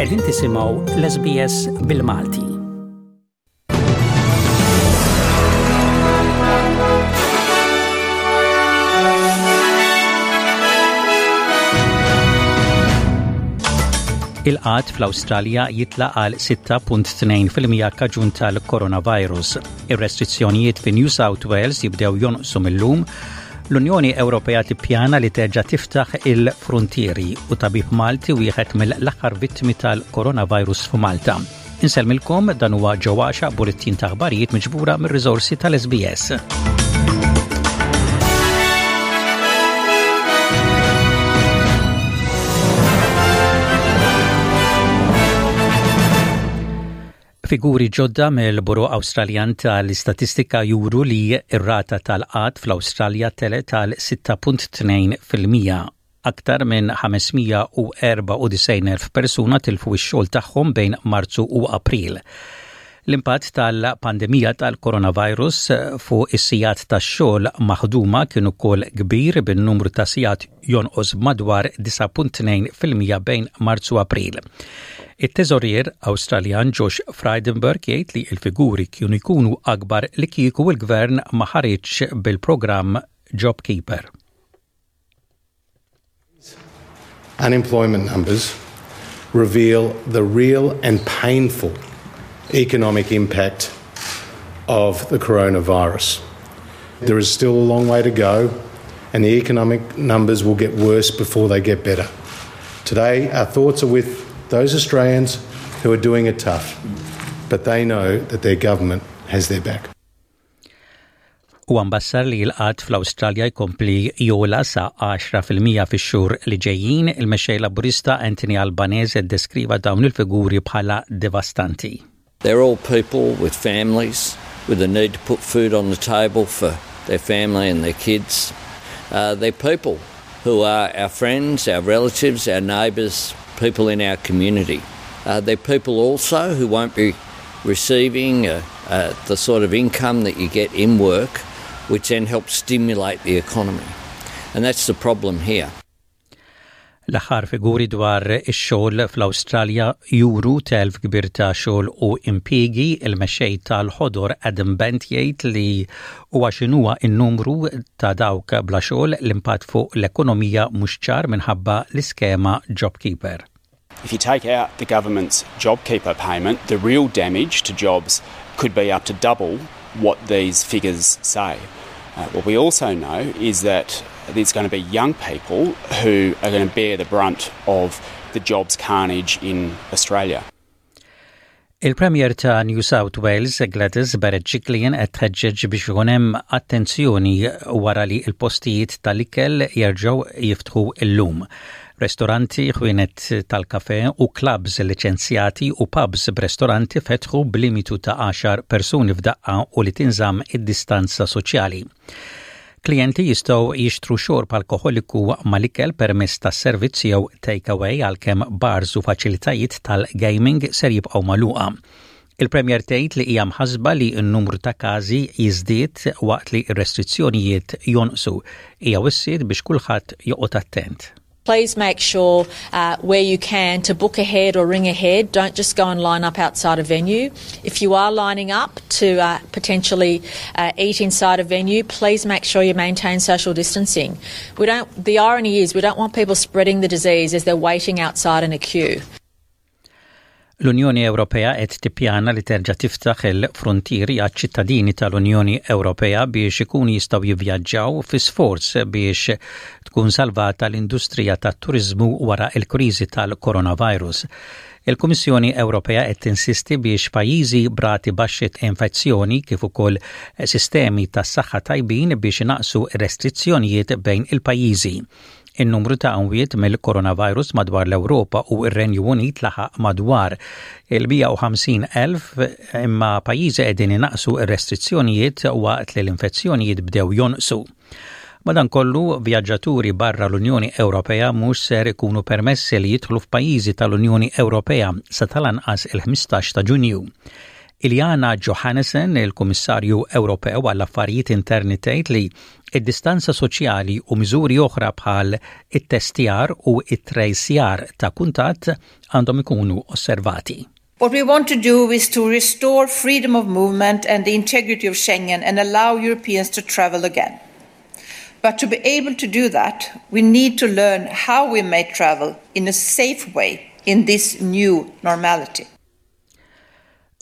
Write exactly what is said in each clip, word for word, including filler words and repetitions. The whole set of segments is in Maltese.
Qegħdin tisimgħu l-S B S bil-Malti. Il-qgħad fl-Awstralja jitla għal sitta punt tnejn fil-mija kaġun tal-coronavirus. Ir-restrizzjonijiet fi New South Wales jibdew jonqsu mill-lum. L-Unjoni Ewropea tippjana li terġa' tiftaħ il-frontieri u tabib Malti wieħed mill-aħħar vittmi tal-coronavirus f'Malta. Insellmilkom, dan huwa ġewwaxa bulettin ta' aħbarijiet miġbura mir-riżorsi tal-S B S. Figuri ġodda mill-Bureau Awstraljan tal-Istatistika juru li r-rata tal-qgħad fl-Awstralja telgħet għal sitta punt tnejn fil-mija. Aktar minn ħames mija u erbgħa u disgħin elf persuna tilfu x-xogħol tagħhom bejn Marzu u April. L-impatt tal-pandemija tal-coronavirus fuq is-sigħat tax-xogħol maħduma kien ukoll kbir, bin-numru ta' sigħat jonqos madwar disgħa punt tnejn fil-mija bejn Marzu u April. It-teżorier Awstraljan Josh Frydenberg jgħid li l-figuri kienu jkunu akbar li kieku il-gvern ma ħariġx bil-programm JobKeeper. Unemployment numbers reveal the real and painful economic impact of the coronavirus. There is still a long way to go, and the economic numbers will get worse before they get better. Today, our thoughts are with those Australians who are doing it tough, but they know that their government has their back. U mbassar li l-qgħad fl-Awstralja jkompli jogħla sa għaxra fil-mija fix-xhur li ġejjin. Il-mexxej Laburista Anthony Albanese deskriva dawn il-figuri bħala devastanti. They're all people with families, with the need to put food on the table for their family and their kids. Uh, they're people who are our friends, our relatives, our neighbours, people in our community. Uh, they're people also who won't be receiving uh, uh, the sort of income that you get in work, which then helps stimulate the economy. And that's the problem here. L-aħħar figuri dwar ix-xogħol fl-Awstralja juru telf kbir ta' xogħol u impjiegi. Il-mexxej tal-Ħodor Adam Bandt jgħid li huwa x'inhuwa n-numru ta' dawk bla xogħol, l-impatt fuq l-ekonomija mhux ċar minħabba l-iskema JobKeeper. If you take out the government's JobKeeper payment, the real damage to jobs could be up to double what these figures say. Uh, what we also know is that there's going to be young people who are going to bear the brunt of the jobs carnage in Australia. Il-Premier ta' New South Wales, Gladys Berejiklian, qed tħeġġeġ biex ikun hemm attenzjoni wara li l-postijiet tal-ikel jerġgħu jiftħu illum. Restoranti, ħwienet tal-kafe u clubs liċenzjati u pubs b'restoranti fetħu b'limitu ta' għaxar persuni f'daqqa u li tinżamm id-distanza soċjali. Klijenti jistgħu jixtru xorb alkoholiku mal-ikel permezz ta' servizz jew take-away, għalkemm bars u faċilitajiet tal-gaming ser jibqgħu magħluqa. Il-Premier tgħid li hija mħasba li n-numru ta' każi jiżdied waqt li r-restrizzjonijiet jonqsu. Hija wissiet biex kulħadd joqgħod attent. Please make sure uh, where you can to book ahead or ring ahead. Don't just go and line up outside a venue. If you are lining up to uh, potentially uh, eat inside a venue, please make sure you maintain social distancing. We don't. The irony is we don't want people spreading the disease as they're waiting outside in a queue. L-Unjoni Ewropea qed tippjana li terġa' tiftaħ il-frontieri għaċ-ċittadini tal-Unjoni Ewropea biex ikunu jistgħu jivvjaġġaw, fi sforz biex tkun salvata l-industrija tat-turiżmu wara l-kriżi tal-coronavirus. Il-Kummissjoni Ewropea qed tinsisti biex pajjiżi b'rati baxxi infezzjoni kif ukoll sistemi tas-saħħa tajbin biex inaqqsu restrizzjonijiet bejn il-pajjiżi. In-numru ta' amwiet mill-coronavirus madwar l-Ewropa u r-Renju Unit laħaq madwar il-mija u ħamsin elf, imma pajjiżi qegħdin inaqqsu r-restrizzjonijiet waqt li l-infezzjonijiet bdew jonqsu. Madankollu, vjaġġaturi barra l-Unjoni Ewropea mhux ser ikunu permessi li jidħlu f'pajjiżi tal-Unjoni Ewropea sa tal-anqas il-ħmistax ta' Ġunju. Ylva Johansson, il-Kummissarju Ewropew għall-Affarijiet Interni, tgħid li id-distanza soċjali u miżuri oħra bħal it-testjar u it-trejsjar ta' kuntatt għandhom ikunu osservati. What we want to do is to restore freedom of movement and the integrity of Schengen and allow Europeans to travel again. But to be able to do that, we need to learn how we may travel in a safe way in this new normality.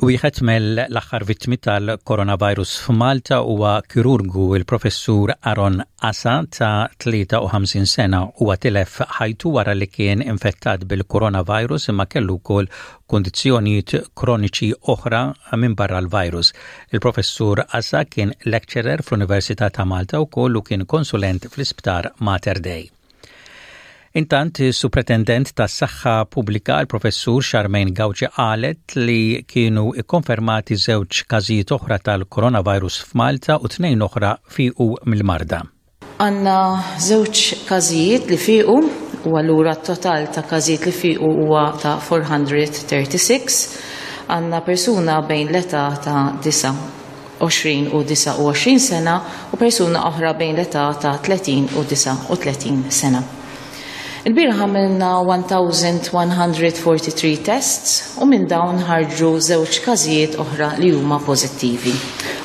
Wieħed mill-aħħar vittmi tal-coronavirus f'Malta huwa kirurgu, il-professur Aaron Asa ta' tlieta u ħamsin sena. Huwa tilef ħajtu wara li kien infettat bil-coronavirus imma kellu wkoll kondizzjonijiet kroniċi oħra minn barra l-virus. Il-professur Asa kien lecturer fl-Università ta' Malta wkoll u kien konsulent fl-Isptar Mater Dei. Intant, Supretendent tas saħħa Pubblika, il-professur Charmaine Gauci, qalet li kienu ikkonfermati żewġ każijiet oħra tal-coronavirus f'Malta u tnejn oħra fiqu mill-marda. Għandna żewġ każijiet li fiqu u allura t-total ta' każijiet li fiqu huwa ta' erba' mija u tlieta u derbgħin. Għandna persuna bejn l-età ta' disgħa u għoxrin u disgħa u għoxrin sena u persuna oħra bejn l-età ta' tletin u disgħa u tletin sena. Il-bieraħ għamilna elf u wieħed u erbgħin tests u minn dawn ħarġu żewġ każijiet oħra li huma pożittivi.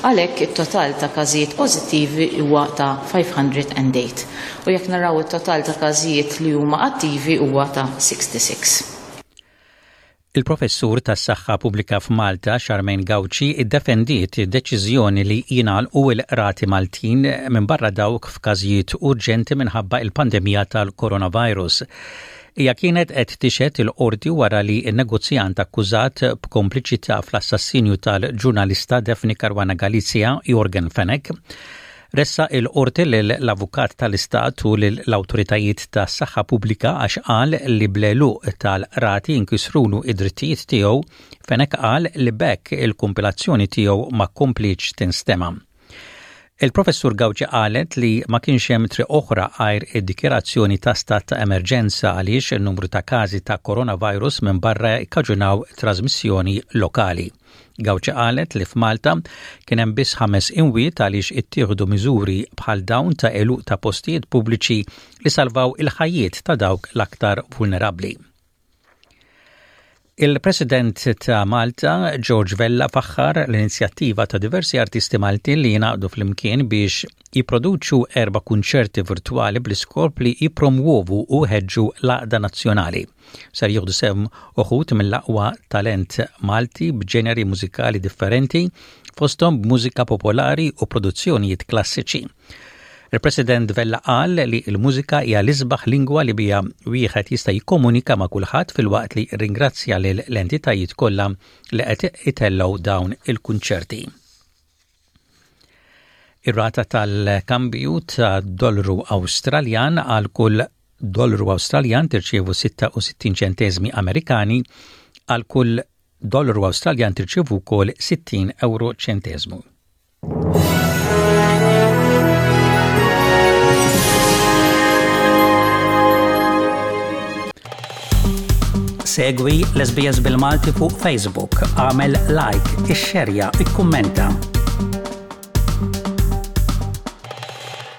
Għalhekk it-total ta' każijiet pożittivi huwa ta' ħames mija u tmienja. U jekk naraw it-total ta' każijiet li huma attivi huwa ta' sitta u sittin. Il-professur tas saħħa pubblika f'Malta, Charmaine Gauci, iddefendiet deċiżjoni li jingħalqu l-qrati Maltin minn barra dawk f'każijiet urġenti minħabba il-pandemija tal-coronavirus. Hija kienet qed tixhed il-qorti wara li n-negozjant akkużat b'kompliċità fl-assassinju tal-ġurnalista Daphne Caruana Galizia, Yorgen Fenech, ressaq il-qorti l-avukat tal-istat u l-autoritajiet ta' saħħa pubblika għax qal li bl-għeluq tal-qrati inkisrulu id-drittijiet tiegħu. Fenech qal li b'hekk il-kumpilazzjoni tiegħu ma komplietx tinstema'. Il-professur Gauci qalet li ma kienx hemm triq oħra għajr id-dikjerazzjoni ta' stat ta' emerġenza għaliex il-numru ta' każi ta' coronavirus minn barra ikkaġunaw trasmissjoni lokali. Gauci qalet li f'Malta kien hemm biss ħames imwiet għaliex ittieħdu miżuri bħal dawn ta' għeluq ta' postijiet pubbliċi li salvaw il-ħajjiet ta' dawk l-aktar vulnerabbli. Il-President ta' Malta, George Vella, faħħar l-inizjattiva ta' diversi artisti Maltin li jingħaqdu flimkien biex jipproduċu erba' kunċerti virtuali bl-iskop li jipromuovu u jħeġġu l-għaqda nazzjonali. Ser jieħdu sehem uħud mill-aqwa talent Malti b'ġeneri mużikali differenti, fosthom b'mużika popolari u produzzjonijiet klassiċi. Il-President Vella qal li l-mużika hija l-isbaħ lingwa li biha wieħed jista' jikkomunika ma' kulħadd, filwaqt li ringrazzja lil l-entitajiet kollha li qed itellgħu dawn il-kunċerti. Ir-rata tal-kambju ta' dollaru Awstraljan: għal kull dollaru Awstraljan tirċievu sitta u sittin ċentesmi Amerikani, għal kull dollaru Awstraljan tirċievu wkoll sittin euro ċentesmu. Segwi l-S B S bil-Malti fuq Facebook, għamel like, ixxerja, ikkummenta.